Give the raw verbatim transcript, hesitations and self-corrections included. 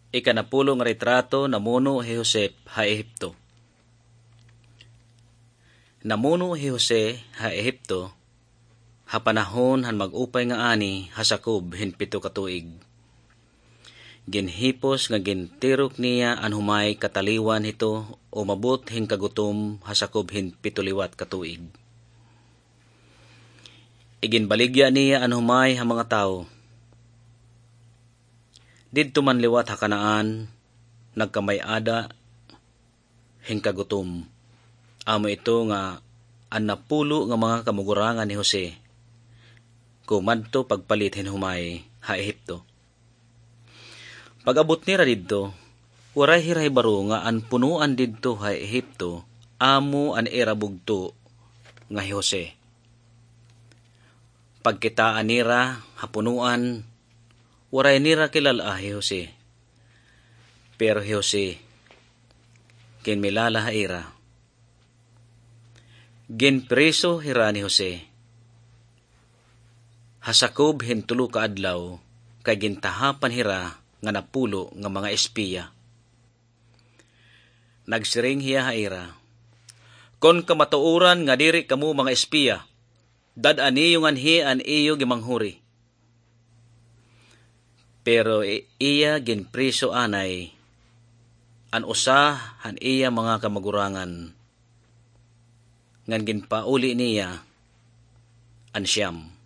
Ikanapulo nga retrato, namuno hi Jose ha Ehipto. Namuno hi Jose ha Ehipto ha panahon han mag-upay nga ani ha sakob hin pito ka tuig. Ginhipos nga gintirok niya an humay kataliwan hito umabot hin kagutom ha sakob hin pito liwat ka tuig. Iginbaligya niya an humay ha mga tawo. Didto man liwat ha Canaan, nagkamay-ada hin kagutom. Amo ito nga an napulo nga mga kamugurangan ni Jose kumadto pagpalit hin humay ha Ehipto. Pag-abot nira didto, waray hira hibaro nga an punoan didto ha Ehipto amo an ira bugto nga hi Jose. Pagkitaa nira ha punoan, waray nira kilal-a hi Jose. Pero hi Jose, ginmilala ha ira. Ginpriso hira ni Jose ha sakob hin tulo ka adlaw kay gintahapan hira nga napulo nga mga espiya. Nagsiring hiya ha ira, "Kon kamatuoran nga diri kamo mga espiya, dad-a niyo nganhi an iyo gimanghuri." Pero i-, iya ginpriso anay an usa han iya mga kamagurangan, ngan ginpauli niya an siyam.